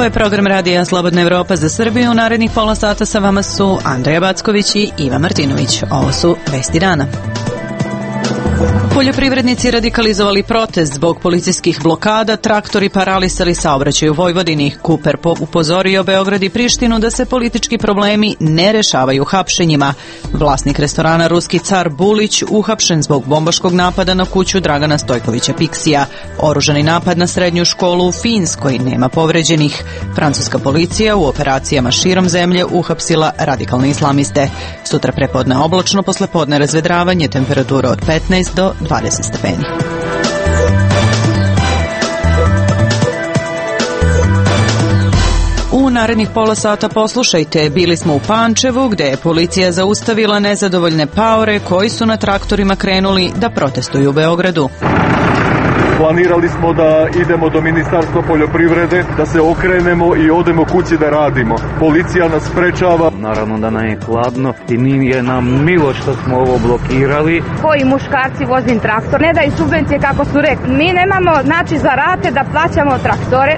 Ovo je program Radija Slobodna Evropa za Srbiju. U narednih pola sata sa vama su Andreja Backović i Iva Martinović. Ovo su vesti dana. Poljoprivrednici radikalizovali protest zbog policijskih blokada, traktori paralisali saobraćaj u Vojvodini. Kuper upozorio Beograd i Prištinu da se politički problemi ne rešavaju hapšenjima. Vlasnik restorana Ruski car Bulić uhapšen zbog bombaškog napada na kuću Dragana Stojkovića Piksija. Oružani napad na srednju školu u Finskoj, nema povređenih. Francuska policija u operacijama širom zemlje uhapsila radikalne islamiste. Sutra prepodne oblačno, poslepodne razvedravanje, temperatura od 15 do 20 stepeni. U narednih pola sata poslušajte, bili smo u Pančevu gde je policija zaustavila nezadovoljne paore koji su na traktorima krenuli da protestuju u Beogradu. Planirali smo da idemo do Ministarstva poljoprivrede, da se okrenemo i odemo kući da radimo. Policija nas sprečava. Naravno da nam je hladno i nije nam milo što smo ovo blokirali. Koji muškarci vozim traktor, ne daju subvencije kako su rekli. Mi nemamo za rate da plaćamo traktore.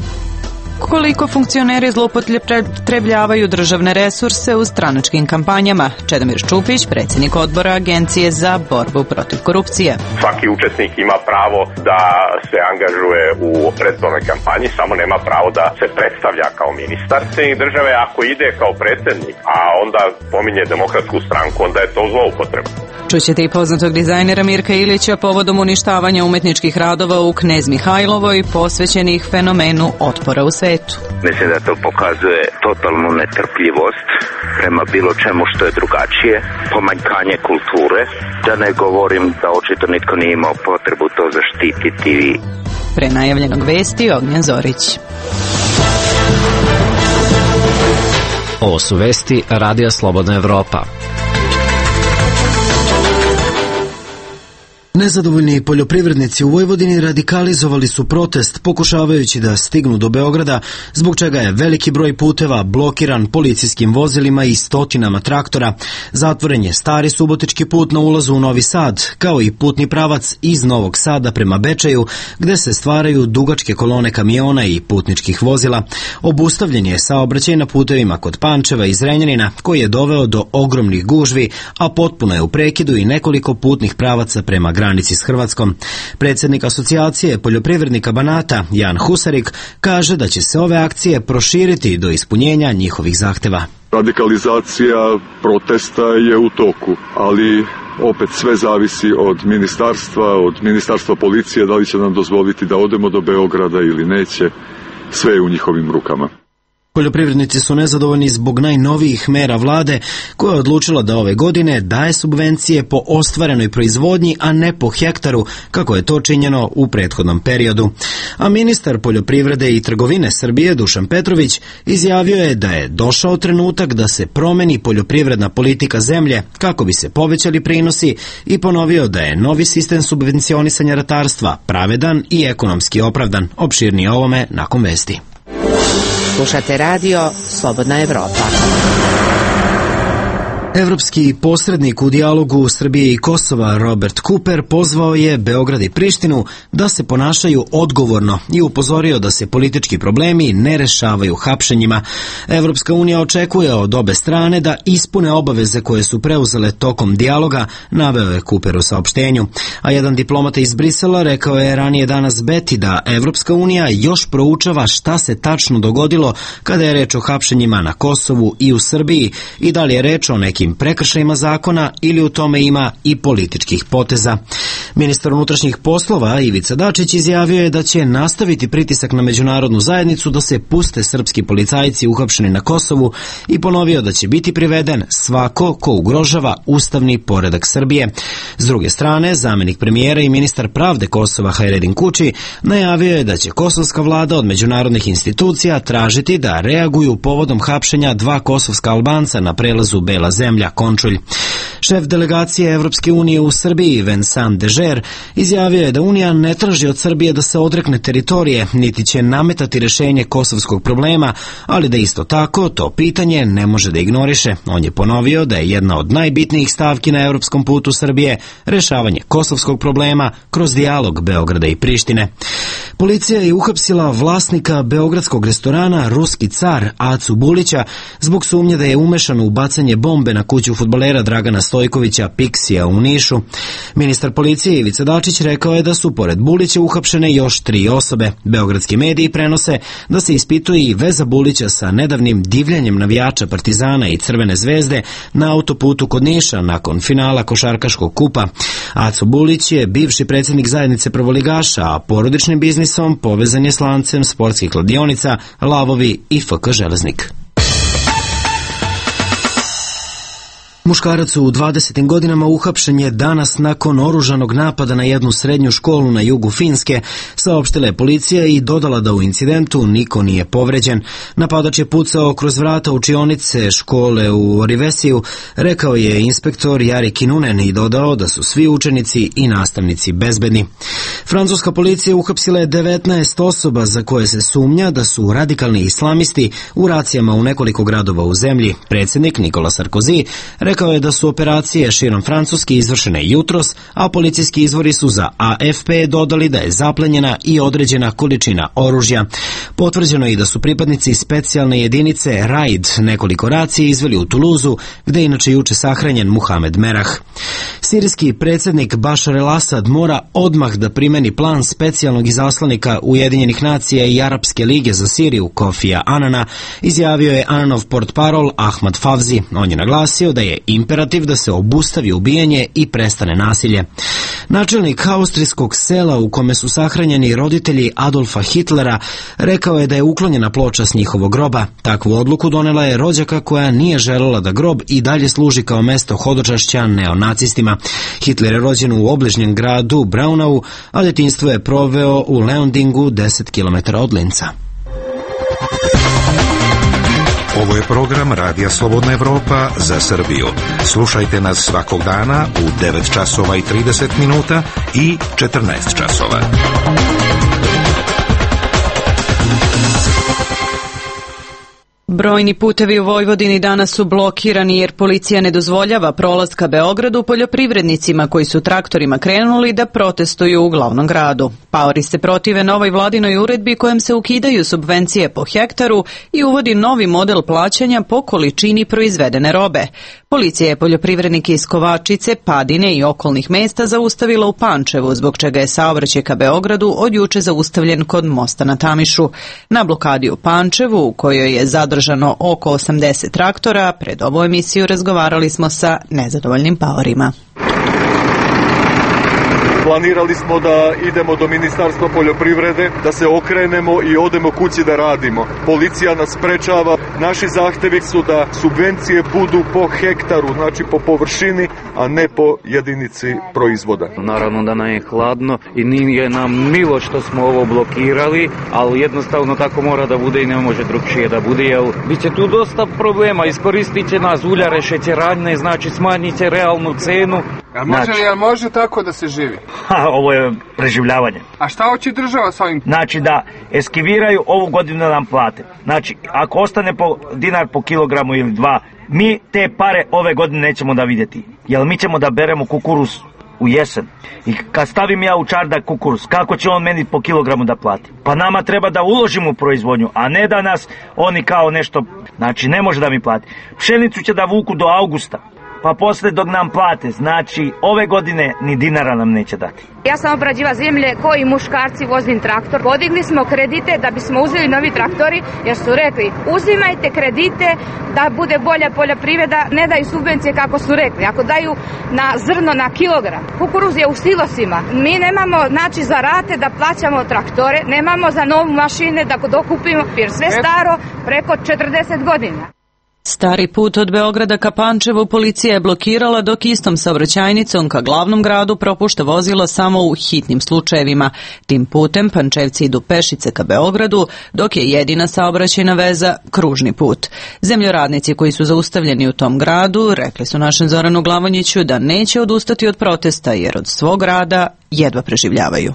Koliko funkcioneri zloupotrebljavaju državne resurse u stranačkim kampanjama? Čedomir Ščupić, predsjednik odbora Agencije za borbu protiv korupcije. Svaki učesnik ima pravo da se angažuje u predizbornoj kampanji, samo nema pravo da se predstavlja kao ministar. Predsjednik države ako ide kao predsjednik, a onda pominje Demokratsku stranku, onda je to zloupotreba. Čućete i poznatog dizajnera Mirka Ilića povodom uništavanja umetničkih radova u Knez Mihajlovoj posvećenih fenomenu otpora u svetu. Mislim da to pokazuje totalnu netrpljivost prema bilo čemu što je drugačije, pomanjkanje kulture, da ne govorim da očito nitko nije imao potrebu to zaštititi. Pre najavljenog vesti Ognjen Zorić. Ovo su vesti Radija Slobodna Evropa. Nezadovoljni poljoprivrednici u Vojvodini radikalizovali su protest pokušavajući da stignu do Beograda, zbog čega je veliki broj puteva blokiran policijskim vozilima i stotinama traktora. Zatvoren je stari subotički put na ulazu u Novi Sad, kao i putni pravac iz Novog Sada prema Bečeju, gde se stvaraju dugačke kolone kamiona i putničkih vozila. Obustavljen je saobraćaj na putevima kod Pančeva i Zrenjanina, koji je doveo do ogromnih gužvi, a potpuno je u prekidu i nekoliko putnih pravaca prema granici s Hrvatskom. Predsjednik asocijacije poljoprivrednika Banata, Jan Husarik, kaže da će se ove akcije proširiti do ispunjenja njihovih zahteva. Radikalizacija protesta je u toku, ali opet sve zavisi od ministarstva policije, da li će nam dozvoliti da odemo do Beograda ili neće, sve je u njihovim rukama. Poljoprivrednici su nezadovoljni zbog najnovijih mera vlade koja je odlučila da ove godine daje subvencije po ostvarenoj proizvodnji, a ne po hektaru, kako je to činjeno u prethodnom periodu. A ministar poljoprivrede i trgovine Srbije Dušan Petrović izjavio je da je došao trenutak da se promeni poljoprivredna politika zemlje kako bi se povećali prinosi i ponovio da je novi sistem subvencionisanja ratarstva pravedan i ekonomski opravdan. Opširnije o ovome nakon vesti. Slušate radio Slobodna Evropa. Evropski posrednik u dijalogu Srbije i Kosova Robert Cooper pozvao je Beograd i Prištinu da se ponašaju odgovorno i upozorio da se politički problemi ne rešavaju hapšenjima. Evropska unija očekuje od obe strane da ispune obaveze koje su preuzele tokom dijaloga, naveo je Cooper u saopštenju. A jedan diplomata iz Brisela rekao je ranije danas Beti da Evropska unija još proučava šta se tačno dogodilo kada je reč o hapšenjima na Kosovu i u Srbiji i da li je reč o nekim prekršajima zakona ili u tome ima i političkih poteza. Ministar unutrašnjih poslova Ivica Dačić izjavio je da će nastaviti pritisak na međunarodnu zajednicu da se puste srpski policajci uhapšeni na Kosovu i ponovio da će biti priveden svako ko ugrožava ustavni poredak Srbije. S druge strane, zamenik premijera i ministar pravde Kosova Hajredin Kuči najavio je da će kosovska vlada od međunarodnih institucija tražiti da reaguju povodom hapšenja dva kosovska Albanca na prelazu Bela zemlja Končulj. Šef delegacije Evropske unije u Srbiji, Vincent Dežer, izjavio je da Unija ne traži od Srbije da se odrekne teritorije, niti će nametati rešenje kosovskog problema, ali da isto tako to pitanje ne može da ignoriše. On je ponovio da je jedna od najbitnijih stavki na evropskom putu Srbije rešavanje kosovskog problema kroz dijalog Beograda i Prištine. Policija je uhapsila vlasnika beogradskog restorana Ruski car Acu Bulića zbog sumnje da je umešan u bacanje bombe na kuću fudbalera Dragana Stojkovića Piksija u Nišu. Ministar policije Ivica Dačić rekao je da su pored Bulića uhapšene još 3 osobe. Beogradski mediji prenose da se ispituje i veza Bulića sa nedavnim divljanjem navijača Partizana i Crvene zvezde na autoputu kod Niša nakon finala košarkaškog kupa. Aco Bulić je bivši predsjednik zajednice prvoligaša, a porodičnim biznisom povezan je s lancem sportskih kladionica Lavovi i FK Železnik. Muškarac u 20. godinama uhapšen je danas nakon oružanog napada na jednu srednju školu na jugu Finske, saopštila je policija i dodala da u incidentu niko nije povređen. Napadač je pucao kroz vrata učionice škole u Orivesiju, rekao je inspektor Jari Kinunen i dodao da su svi učenici i nastavnici bezbedni. Francuska policija uhapsila je 19 osoba za koje se sumnja da su radikalni islamisti u racijama u nekoliko gradova u zemlji. Predsjednik Nicolas Sarkozy rekao je da su operacije širom Francuske izvršene jutros, a policijski izvori su za AFP dodali da je zaplenjena i određena količina oružja. Potvrđeno je i da su pripadnici specijalne jedinice RAID nekoliko racija izveli u Tuluzu, gde je inače juče sahranjen Muhamed Merah. Sirijski predsjednik Bašar el-Asad mora odmah da primeni plan specijalnog izaslanika Ujedinjenih nacija i Arapske lige za Siriju Kofija Anana, izjavio je Ananov portparol Ahmad Favzi. On je naglasio da je imperativ da se obustavi ubijanje i prestane nasilje. Načelnik austrijskog sela u kome su sahranjeni roditelji Adolfa Hitlera rekao je da je uklonjena ploča s njihovog groba. Takvu odluku donela je rođaka koja nije želela da grob i dalje služi kao mesto hodočašća neonacistima. Hitler je rođen u obližnjem gradu Braunau, a detinjstvo je proveo u Leondingu 10 km od Linca. Ovo je program Radija Slobodna Evropa za Srbiju. Slušajte nas svakog dana u 9 časova i 30 minuta i 14 časova. Brojni putevi u Vojvodini danas su blokirani jer policija ne dozvoljava prolaz ka Beogradu poljoprivrednicima koji su traktorima krenuli da protestuju u glavnom gradu. Paori se protive novoj vladinoj uredbi kojom se ukidaju subvencije po hektaru i uvodi novi model plaćanja po količini proizvedene robe. Policija je poljoprivrednike iz Kovačice, Padine i okolnih mesta zaustavila u Pančevu, zbog čega je saobraćaj ka Beogradu od juče zaustavljen kod mosta na Tamišu. Na blokadi u Pančevu, u kojoj je zadržano oko 80 traktora, pred ovu emisiju razgovarali smo sa nezadovoljnim paorima. Planirali smo da idemo do Ministarstva poljoprivrede, da se okrenemo i odemo kući da radimo. Policija nas sprečava. Naši zahtevi su da subvencije budu po hektaru, znači po površini, a ne po jedinici proizvoda. Naravno da nam je hladno i nije nam milo što smo ovo blokirali, ali jednostavno tako mora da bude i ne može drugčije da bude, jer bit će tu dosta problema. Iskoristit će nas uljare, šećeradnje, znači smanjit će realnu cenu. Jel može tako da se živi? Ovo je preživljavanje. A šta hoće država s ovim? Znači da eskiviraju ovu godinu da nam plate. Znači, ako ostane po dinar po kilogramu ili 2, mi te pare ove godine nećemo da vidjeti. Jer mi ćemo da beremo kukuruz u jesen. I kad stavim ja u čardak kukuruz, kako će on meni po kilogramu da plati? Pa nama treba da uložimo u proizvodnju, a ne da nas oni kao nešto, znači ne može da mi plati. Pšenicu će da vuku do avgusta. Pa posle dok nam plate, znači ove godine ni dinara nam neće dati. Ja sam obrađiva zemlje koji muškarci vozim traktor. Podigli smo kredite da bismo uzeli novi traktori jer su rekli uzimajte kredite da bude bolja poljoprivreda, ne daju subvencije kako su rekli. Ako daju na zrno na kilogram, kukuruz je u silosima. Mi nemamo znači za rate da plaćamo traktore, nemamo za novu mašine da dokupimo jer sve staro preko 40 godina. Stari put od Beograda ka Pančevu policija je blokirala dok istom saobraćajnicom ka glavnom gradu propušta vozilo samo u hitnim slučajevima. Tim putem Pančevci idu pešice ka Beogradu, dok je jedina saobraćajna veza kružni put. Zemljoradnici koji su zaustavljeni u tom gradu rekli su našem Zoranu Glavonjiću da neće odustati od protesta jer od svog rada jedva preživljavaju.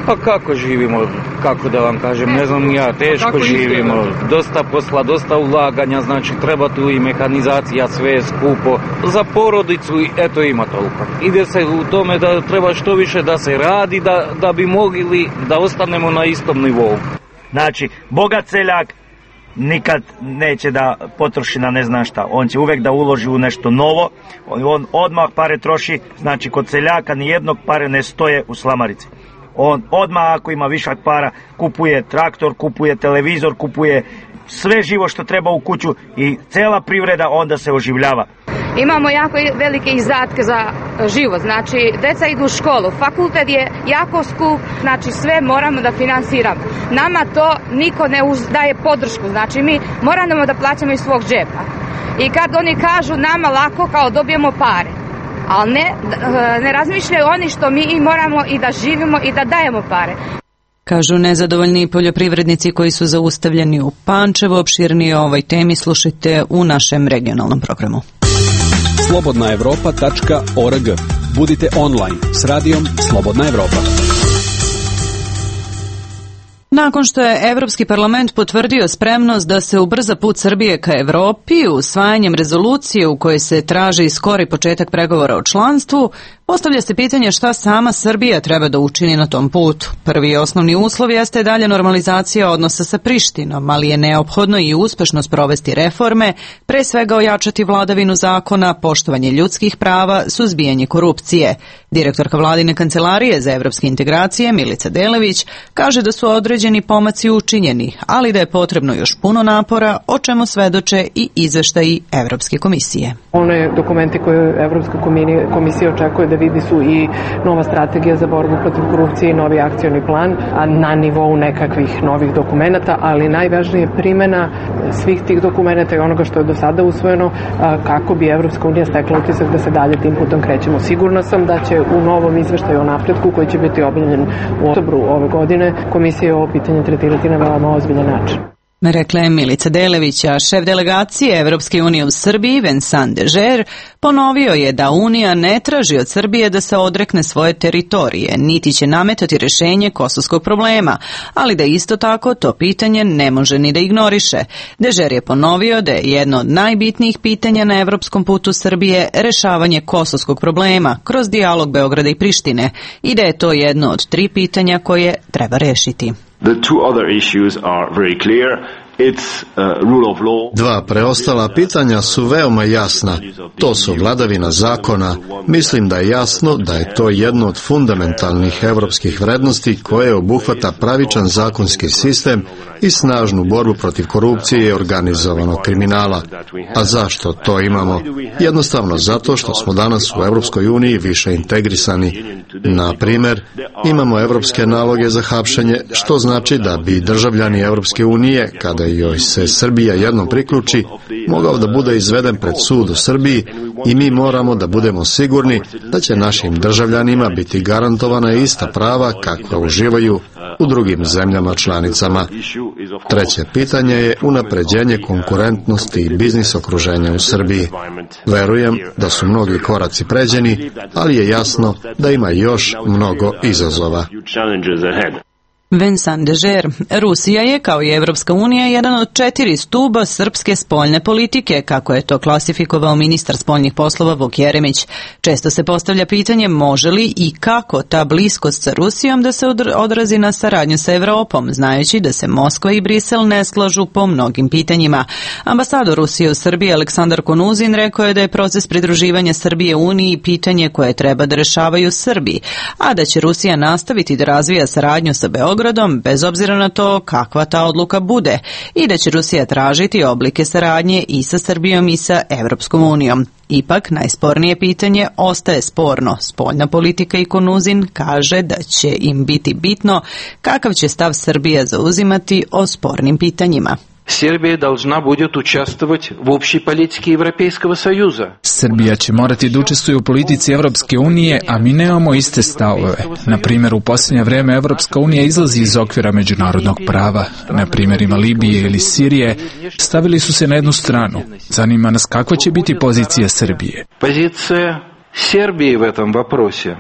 Pa kako živimo, kako da vam kažem, ne znam ja, teško živimo, dosta posla, dosta ulaganja, znači treba tu i mehanizacija, sve je skupo, za porodicu, eto ima toliko. Ide se u tome da treba što više da se radi, da bi mogli da ostanemo na istom nivou. Znači, bogat seljak nikad neće da potroši na ne znam šta, on će uvek da uloži u nešto novo, on odmah pare troši, znači kod seljaka nijednog pare ne stoje u slamarici. On odmah ako ima višak para kupuje traktor, kupuje televizor, kupuje sve živo što treba u kuću i cela privreda onda se oživljava. Imamo jako velike izdatke za život, znači deca idu u školu, fakultet je jako skup, znači sve moramo da finansiramo. Nama to niko ne daje podršku, znači mi moramo da plaćamo iz svog džepa. I kad oni kažu nama lako kao dobijemo pare, ali ne razmišljaju oni što mi moramo i da živimo i da dajemo pare. Kažu nezadovoljni poljoprivrednici koji su zaustavljeni u Pančevu. Opširnije o ovoj temi slušajte u našem regionalnom programu. slobodnaevropa.org. Budite online s radijom Slobodna Evropa. Nakon što je Evropski parlament potvrdio spremnost da se ubrza put Srbije ka Evropi usvajanjem rezolucije u kojoj se traži skori početak pregovora o članstvu, postavlja se pitanje šta sama Srbija treba da učini na tom putu. Prvi i osnovni uslov jeste dalje normalizacija odnosa sa Prištinom, ali je neophodno i uspešno sprovesti reforme, pre svega ojačati vladavinu zakona, poštovanje ljudskih prava, suzbijanje korupcije. Direktorka vladine kancelarije za evropske integracije Milica Delević kaže da su određeni pomaci učinjeni, ali da je potrebno još puno napora, o čemu svedoče i izveštaji Evropske komisije. One dokumenti koje Evropska komisija očekuje da vidi su i nova strategija za borbu protiv korupcije i novi akcioni plan, a na nivou nekakvih novih dokumenata, ali najvažnije je primjena svih tih dokumenata i onoga što je do sada usvojeno kako bi Evropska unija stekla utisak da se dalje tim putom krećemo. Sigurna sam da će u novom izveštaju o napretku koji će biti objavljen u oktobru ove godine komisija ovo pitanje tretirati na veoma ozbiljan način. Rekla je Milica Delević, a šef delegacije Evropske unije u Srbiji, Vincent Dežer, ponovio je da Unija ne traži od Srbije da se odrekne svoje teritorije, niti će nametati rešenje kosovskog problema, ali da isto tako to pitanje ne može ni da ignoriše. Dežer je ponovio da je jedno od najbitnijih pitanja na evropskom putu Srbije rešavanje kosovskog problema kroz dijalog Beograda i Prištine i da je to jedno od 3 pitanja koje treba rešiti. The two other issues are very clear. Dva preostala pitanja su veoma jasna. To su vladavina zakona. Mislim da je jasno da je to jedno od fundamentalnih evropskih vrednosti koje obuhvata pravičan zakonski sistem i snažnu borbu protiv korupcije i organizovanog kriminala. A zašto to imamo? Jednostavno zato što smo danas u Evropskoj uniji više integrisani. Na primjer, imamo evropske naloge za hapšenje, što znači da bi državljani Evropske unije, kada joj se Srbija jednom priključi, mogao da bude izveden pred sud u Srbiji i mi moramo da budemo sigurni da će našim državljanima biti garantovana ista prava kakva uživaju u drugim zemljama članicama. Treće pitanje je unapređenje konkurentnosti i biznis okruženja u Srbiji. Verujem da su mnogi koraci pređeni, ali je jasno da ima još mnogo izazova. Vincent Dežer. Rusija je, kao i Evropska unija, jedan od 4 stuba srpske spoljne politike, kako je to klasifikovao ministar spoljnih poslova Vuk Jeremić. Često se postavlja pitanje može li i kako ta bliskost sa Rusijom da se odrazi na saradnju sa Evropom, znajući da se Moskva i Brisel ne slažu po mnogim pitanjima. Ambasador Rusije u Srbiji Aleksandar Konuzin rekao je da je proces pridruživanja Srbije Uniji pitanje koje treba da rešavaju Srbi, a da će Rusija nastaviti da razvija saradnju sa Beogradom bez obzira na to kakva ta odluka bude i da će Rusija tražiti oblike saradnje i sa Srbijom i sa Evropskom unijom. Ipak, najspornije pitanje ostaje sporno. Spoljna politika i Konuzin kaže da će im biti bitno kakav će stav Srbija zauzimati o spornim pitanjima. Сербия должна будет участвовать в общей политике Европейского Союза. Srbija će morati da učestvuje u politici Evropske unije, a mi nemamo iste stavove. Na primjer, u posljednje vrijeme Evropska unija izlazi iz okvira međunarodnog prava. Na primjerima Libije ili Sirije stavili su se na jednu stranu. Zanima nas kakva će biti pozicija Srbije. Pozicija Srbije u tom vопросе.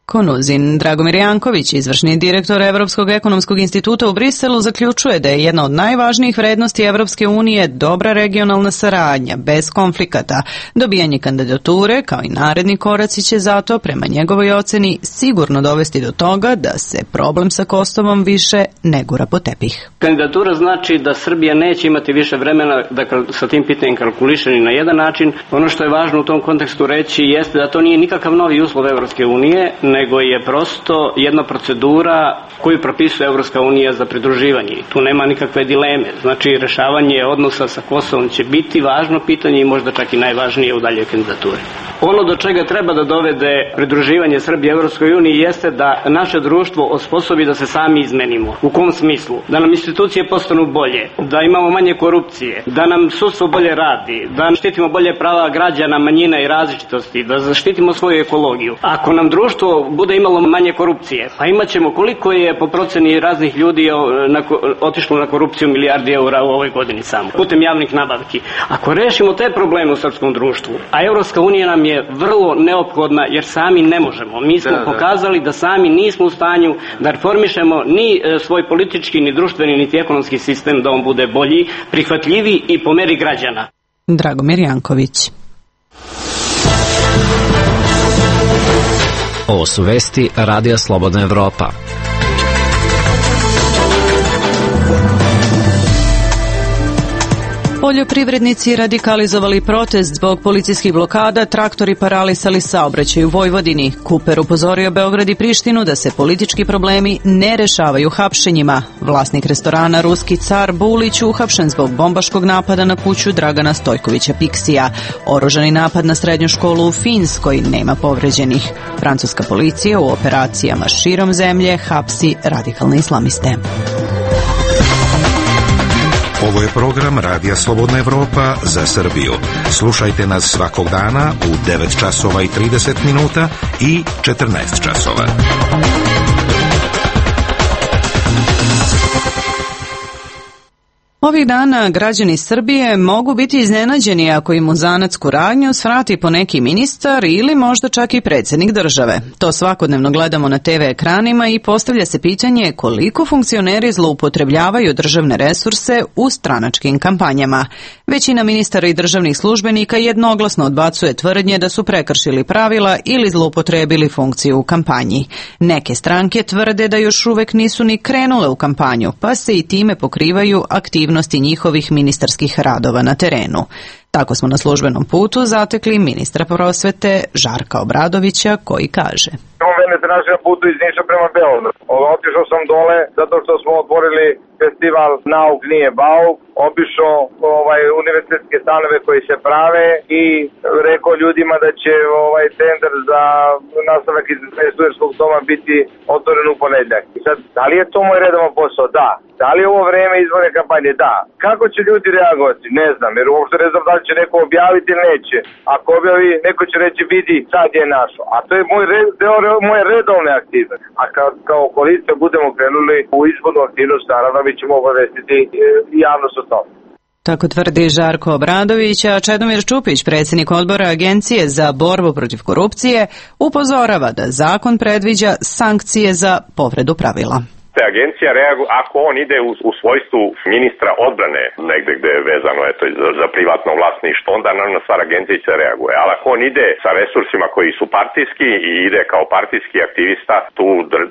Konuzin Dragomir Janković, izvršni direktor Evropskog ekonomskog instituta u Briselu, zaključuje da je jedna od najvažnijih vrednosti Evropske unije dobra regionalna saradnja, bez konflikata. Dobijanje kandidature, kao i naredni koraci, će zato, prema njegovoj oceni, sigurno dovesti do toga da se problem sa Kosovom više ne gura po tepih. Kandidatura znači da Srbija neće imati više vremena da sa tim pitanjem kalkuliše ni na jedan način. Ono što je važno u tom kontekstu reći jeste da to nije nikakav novi uslov Evropske unije, nego je prosto jedna procedura koju propisuje Evropska unija za pridruživanje. Tu nema nikakve dileme. Znači, rešavanje odnosa sa Kosovom će biti važno pitanje i možda čak i najvažnije u daljoj kandidaturi. Ono do čega treba da dovede pridruživanje Srbije Evropskoj uniji jeste da naše društvo osposobi da se sami izmenimo. U kom smislu? Da nam institucije postanu bolje, da imamo manje korupcije, da nam sudstvo bolje radi, da štitimo bolje prava građana, manjina i različitosti, da zaštitimo svoju ekologiju. Ako nam društvo bude imalo manje korupcije, pa imat ćemo koliko je po proceni raznih ljudi otišlo na korupciju milijardi eura u ovoj godini samo, putem javnih nabavki. Ako rešimo te probleme u srpskom društvu, a Evropska unija nam je vrlo neophodna jer sami ne možemo. Mi smo pokazali da sami nismo u stanju da reformišemo ni svoj politički, ni društveni, niti ekonomski sistem da on bude bolji, prihvatljiviji i po meri građana. Dragomir Janković. Ovo su vesti Radija Slobodna Evropa. Poljoprivrednici radikalizovali protest zbog policijskih blokada, traktori paralisali saobraćaj u Vojvodini. Kuper upozorio Beograd i Prištinu da se politički problemi ne rešavaju hapšenjima. Vlasnik restorana Ruski car Bulić uhapšen zbog bombaškog napada na kuću Dragana Stojkovića Piksija. Oružani napad na srednju školu u Finskoj, nema povređenih. Francuska policija u operacijama širom zemlje hapsi radikalne islamiste. Ovo je program Radija Slobodna Evropa za Srbiju. Slušajte nas svakog dana u 9 časova i 30 minuta i 14 časova. Ovih dana građani Srbije mogu biti iznenađeni ako im u zanatsku radnju svrati po neki ministar ili možda čak i predsjednik države. To svakodnevno gledamo na TV ekranima i postavlja se pitanje koliko funkcioneri zloupotrebljavaju državne resurse u stranačkim kampanjama. Većina ministara i državnih službenika jednoglasno odbacuje tvrdnje da su prekršili pravila ili zloupotrebili funkciju u kampanji. Neke stranke tvrde da još uvek nisu ni krenule u kampanju, pa se i time pokrivaju aktivnosti njihovih ministarskih radova na terenu. Tako smo na službenom putu zatekli ministra prosvete Žarka Obradovića koji kaže: Mene se našem putu iz Niša prema Beogradu. Otišao sam dole zato što smo otvorili festival Nauk nije bauk, obišao univerzitetske stanove koji se prave i rekao ljudima da će centar za nastavak iz studentskog doma biti otvoren u ponedjeljak. I sad, da li je to moj redovan posao? Da. Da li je ovo vreme izborne kampanje? Da. Kako će ljudi reagovati? Ne znam, jer uopšte ne znam da li će neko objaviti ili neće. Ako objavi, neko će reći vidi, sad je našo. A to je moje redovne aktivnosti. A kao koalicija budemo krenuli u izbornu aktivnost, naravno mi ćemo obavestiti javnost o tome. Tako tvrdi Žarko Obradović, a Čedomir Čupić, predsjednik odbora Agencije za borbu protiv korupcije, upozorava da zakon predviđa sankcije za povredu pravila. Agencija reaguje ako on ide u svojstvu ministra odbrane negde gde je vezano za privatno vlasništvo, onda naravno stvar agencija će reaguje. Ali ako on ide sa resursima koji su partijski i ide kao partijski aktivista,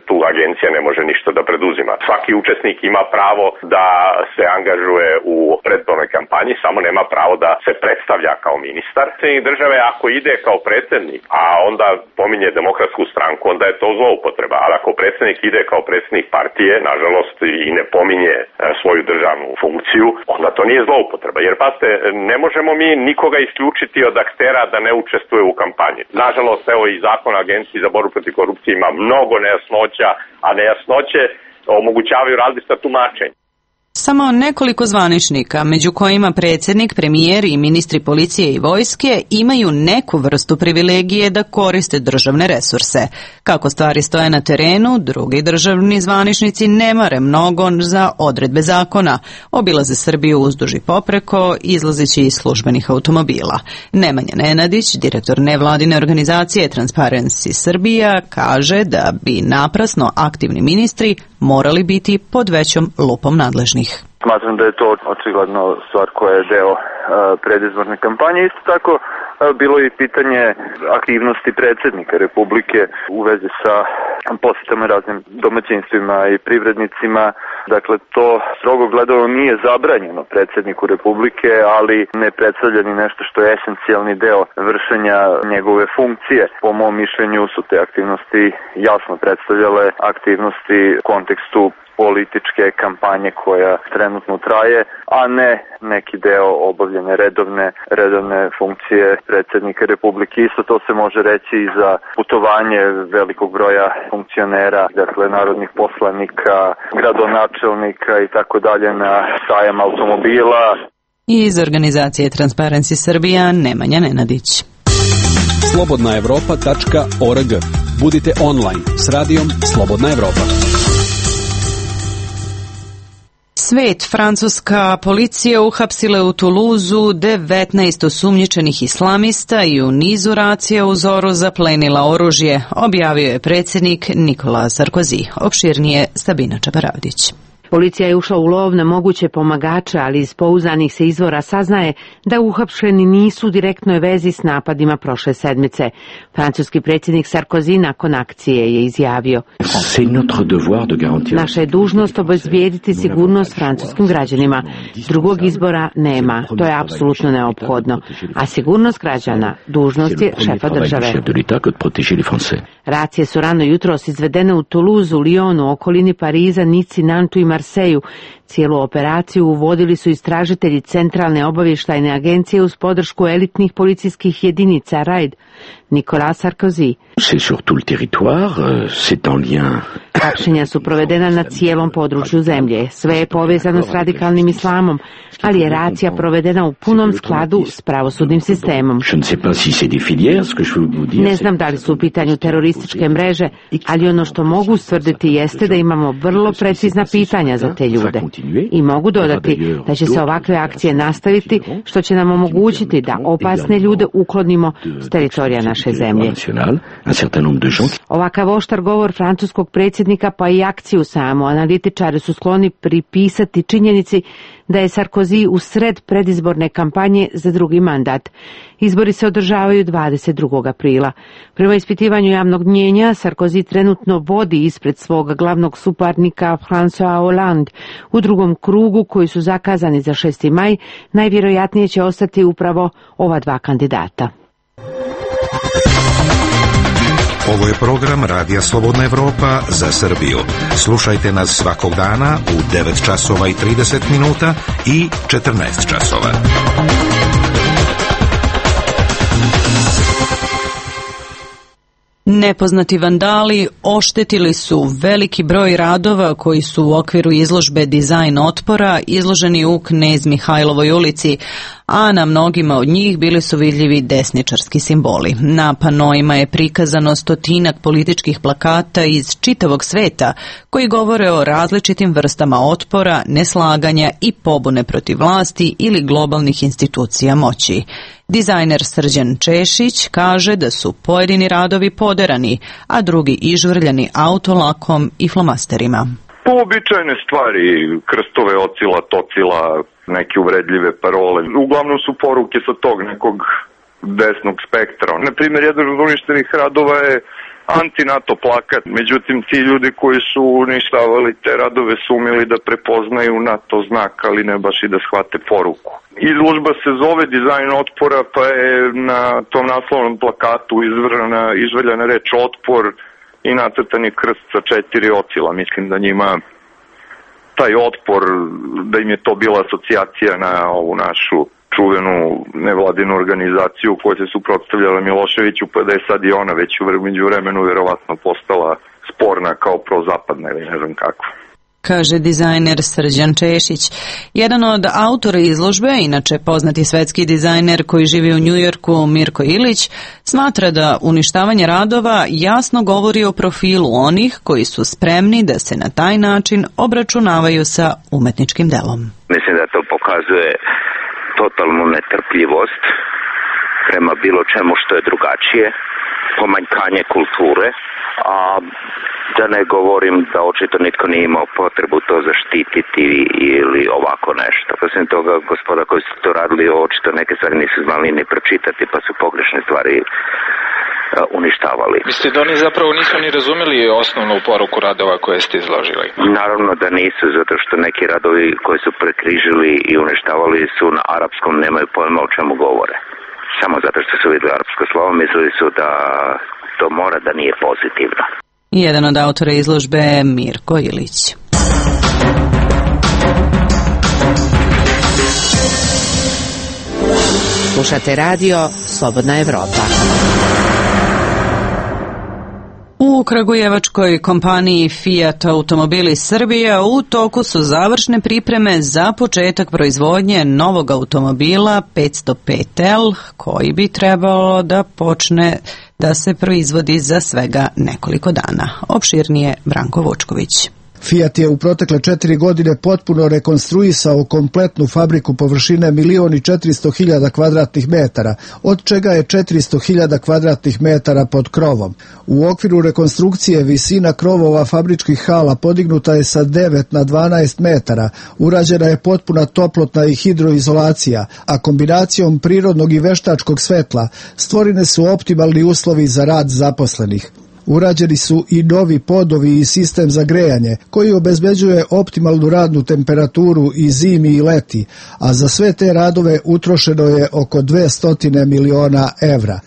tu agencija ne može ništa da preduzima. Svaki učesnik ima pravo da se angažuje u predizbornoj kampanji, samo nema pravo da se predstavlja kao ministar. Predsjednik države ako ide kao predsjednik, a onda pominje Demokratsku stranku, onda je to zloupotreba. Ali ako predsjednik ide kao predsjednik partije, nažalost, i ne pominje svoju državnu funkciju, onda to nije zloupotreba. Jer, pazite, ne možemo mi nikoga isključiti od aktera da ne učestvuje u kampanji. Nažalost, evo i zakon o Agenciji za borbu protiv korupcije ima mnogo nejasnoća, a nejasnoće omogućavaju različita tumačenja. Samo nekoliko zvaničnika, među kojima predsjednik, premijer i ministri policije i vojske, imaju neku vrstu privilegije da koriste državne resurse. Kako stvari stoje na terenu, drugi državni zvaničnici ne mare mnogo za odredbe zakona. Obilaze Srbiju uzduž i popreko, izlazeći iz službenih automobila. Nemanja Nenadić, direktor nevladine organizacije Transparency Srbija, kaže da bi naprasno aktivni ministri morali biti pod većom lupom nadležnih. Smatram da je to očigledno stvar koja je deo predizborne kampanje. Isto tako bilo je pitanje aktivnosti predsjednika Republike u vezi sa posjetama raznim domaćinstvima i privrednicima. Dakle, to strogo gledano nije zabranjeno predsjedniku Republike, ali ne predstavlja ni nešto što je esencijalni deo vršenja njegove funkcije. Po mom mišljenju su te aktivnosti jasno predstavljale aktivnosti u kontekstu političke kampanje koja trenutno traje, a ne neki deo obavljene redovne funkcije predsjednika Republike. Isto to se može reći i za putovanje velikog broja funkcionera, dakle narodnih poslanika, gradonačelnika i tako dalje na sajam automobila. Iz organizacije Transparency Srbija, Nemanja Nenadić. Slobodnaevropa.org. Budite online s radijom Slobodna Evropa. Svet, francuska policija uhapsila u Tuluzu 19 osumnjičenih islamista i u nizu racija u Zoru zaplenila oružje, objavio je predsjednik Nicolas Sarkozy. Opširnije Sabina Čaparavdić. Policija je ušla u lov na moguće pomagače, ali iz pouzdanih se izvora saznaje da uhapšeni nisu u direktnoj vezi s napadima prošle sedmice. Francuski predsjednik Sarkozy nakon akcije je izjavio: Naša je dužnost obezbijediti sigurnost francuskim građanima. Drugog izbora nema, to je apsolutno neophodno. A sigurnost građana dužnost je šefa države. Racije su rano jutros izvedene u Toulouse, Lyonu, okolini Pariza, Nici, Nantu i Marseju. Cijelu operaciju uvodili su istražitelji Centralne obavještajne agencije uz podršku elitnih policijskih jedinica RAID. Nicolas Sarkozy. Hapšenja su provedena na cijelom području zemlje. Sve je povezano s radikalnim islamom, ali je racija provedena u punom skladu s pravosudnim sistemom. Ne znam da li su u pitanju terorističke mreže, ali ono što mogu ustvrditi jeste da imamo vrlo precizna pitanja za te ljude. I mogu dodati da će se ovakve akcije nastaviti, što će nam omogućiti da opasne ljude uklonimo s teritorija naše zemlje. Ovakav oštar govor francuskog predsjednika pa i akciju samu analitičari su skloni pripisati činjenici da je Sarkozy u sred predizborne kampanje za drugi mandat. Izbori se održavaju 22. aprila. Prema ispitivanju javnog mnjenja, Sarkozy trenutno vodi ispred svog glavnog suparnika François Hollande. U drugom krugu, koji su zakazani za 6. maj, najvjerojatnije će ostati upravo ova dva kandidata. Ovo je program Radija Slobodna Evropa za Srbiju. Slušajte nas svakog dana u 9 časova i 30 minuta i 14 časova. Nepoznati vandali oštetili su veliki broj radova koji su u okviru izložbe Dizajn otpora izloženi u Knez Mihajlovoj ulici, a na mnogima od njih bili su vidljivi desničarski simboli. Na panoima je prikazano 100 političkih plakata iz čitavog sveta koji govore o različitim vrstama otpora, neslaganja i pobune protiv vlasti ili globalnih institucija moći. Dizajner Srđan Češić kaže da su pojedini radovi poderani, a drugi ižvrljani autolakom i flomasterima. Uobičajene stvari, krstove, ocila, tocila, neke uvredljive parole. Uglavnom su poruke sa tog nekog desnog spektra. Naprimjer, jedan od uništenih radova je anti-NATO plakat. Međutim, ti ljudi koji su uništavali te radove su umjeli da prepoznaju NATO znak, ali ne baš i da shvate poruku. Izložba se zove Dizajn otpora, pa je na tom naslovnom plakatu izvrljana reč otpor i nacrtan je krst sa 4 ocila. Mislim da njima taj otpor, da im je to bila asocijacija na ovu našu čuvenu nevladinu organizaciju koja se suprotstavljala Miloševiću, pa da je sad i ona već u međuvremenu vjerovatno postala sporna kao prozapadna ili ne znam kako. kaže dizajner Srđan Češić. Jedan od autora izložbe, inače poznati svetski dizajner koji živi u Njujorku, Mirko Ilić, smatra da uništavanje radova jasno govori o profilu onih koji su spremni da se na taj način obračunavaju sa umetničkim delom. Mislim da to pokazuje totalnu netrpljivost prema bilo čemu što je drugačije, pomanjkanje kulture, a da ne govorim da očito nitko nije imao potrebu to zaštititi ili ovako nešto. Osim toga, gospoda koji su to radili, očito neke stvari nisu znali ni pročitati, pa su pogrešne stvari uništavali. Mislite da oni zapravo nisu ni razumeli osnovnu poruku radova koje ste izložili? Naravno da nisu, zato što neki radovi koji su prekrižili i uništavali su na arapskom, nemaju pojma o čemu govore. Samo zato što su vidjeli arapsko slovo, mislili su da to mora da nije pozitivno. Jedan od autora izložbe je Mirko Ilić. Slušate radio Slobodna Evropa. U kragujevačkoj kompaniji Fiat Automobili Srbija u toku su završne pripreme za početak proizvodnje novog automobila 505L koji bi trebalo da počne da se proizvodi za svega nekoliko dana. Opširnije Branko Vučković. Fiat je u protekle 4 godine potpuno rekonstruisao kompletnu fabriku površine 1.400.000 kvadratnih metara, od čega je 400.000 kvadratnih metara pod krovom. U okviru rekonstrukcije visina krovova fabričkih hala podignuta je sa 9 na 12 metara, urađena je potpuna toplotna i hidroizolacija, a kombinacijom prirodnog i veštačkog svetla stvorene su optimalni uslovi za rad zaposlenih. Urađeni su i novi podovi i sistem za grejanje koji obezbeđuje optimalnu radnu temperaturu i zimi i leti, a za sve te radove utrošeno je oko 200 miliona evra.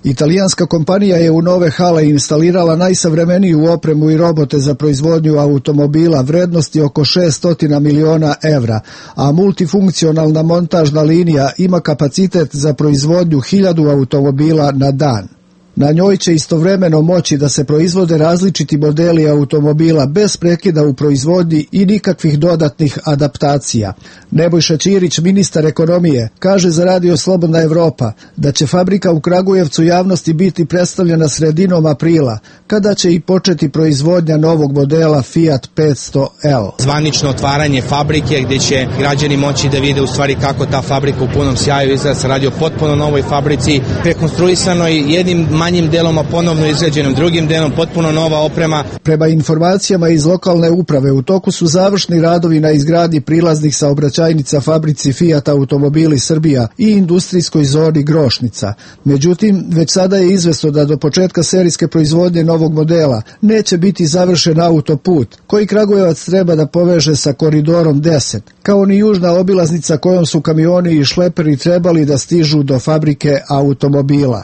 Italijanska kompanija je u nove hale instalirala najsavremeniju opremu i robote za proizvodnju automobila vrednosti oko 600 miliona evra, a multifunkcionalna montažna linija ima kapacitet za proizvodnju 1000 automobila na dan. Na njoj će istovremeno moći da se proizvode različiti modeli automobila bez prekida u proizvodnji i nikakvih dodatnih adaptacija. Nebojša Ćirić, ministar ekonomije, kaže za radio Slobodna Evropa da će fabrika u Kragujevcu javnosti biti predstavljena sredinom aprila, kada će i početi proizvodnja novog modela Fiat 500L. Zvanično otvaranje fabrike gdje će građani moći da vide u stvari kako ta fabrika u punom sjaju izgleda. Se radi o potpuno novoj fabrici, rekonstruisanoj jednim manjim delom, a ponovno izgrađenom drugim delom, potpuno nova oprema. Prema informacijama iz lokalne uprave, u toku su završni radovi na izgradnji prilaznih saobraćajnica fabrici Fiat Automobili Srbija i industrijskoj zoni Grošnica. Međutim, već sada je izvesno da do početka serijske proizvodnje novog modela neće biti završen autoput, koji Kragujevac treba da poveže sa koridorom 10, kao ni južna obilaznica kojom su kamioni i šleperi trebali da stižu do fabrike automobila.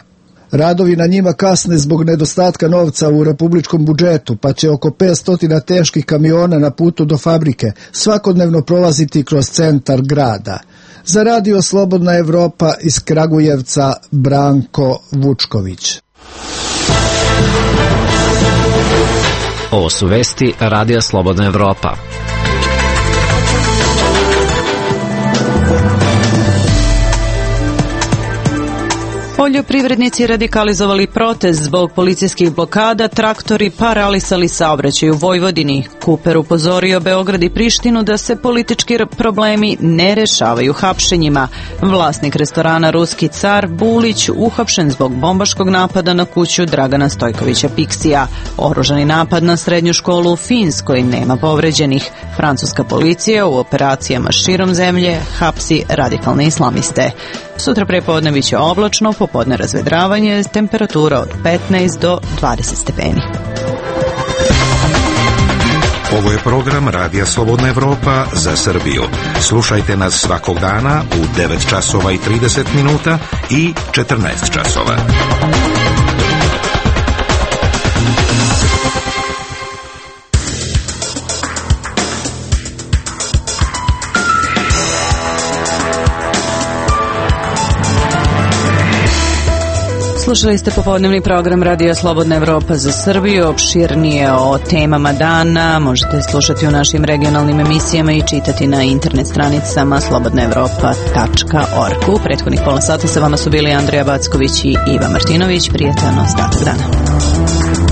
Radovi na njima kasne zbog nedostatka novca u republičkom budžetu, pa će oko 500 teških kamiona na putu do fabrike svakodnevno prolaziti kroz centar grada. Za radio Slobodna Evropa iz Kragujevca, Branko Vučković. Ovo su vesti Radija Slobodna Evropa. Poljoprivrednici radikalizovali protest zbog policijskih blokada, traktori paralisali saobraćaj u Vojvodini. Kuper upozorio Beograd i Prištinu da se politički problemi ne rešavaju hapšenjima. Vlasnik restorana Ruski car Bulić uhapšen zbog bombaškog napada na kuću Dragana Stojkovića Piksija. Oružani napad na srednju školu u Finskoj, nema povređenih. Francuska policija u operacijama širom zemlje hapsi radikalne islamiste. Sutra prepodne biće oblačno, popodne razvedravanje, temperatura od 15 do 20 stepeni. Ovo je program Radija Slobodna Evropa za Srbiju. Slušajte nas svakog dana u 9 časova i 30 minuta i 14 časova. Slušali ste popodnevni program Radija Slobodna Evropa za Srbiju. Opširnije o temama dana možete slušati u našim regionalnim emisijama i čitati na internet stranicama slobodnaevropa.org. U prethodnih pola sata sa vama su bili Andrija Backović i Iva Martinović. Prijatan ostatak dana.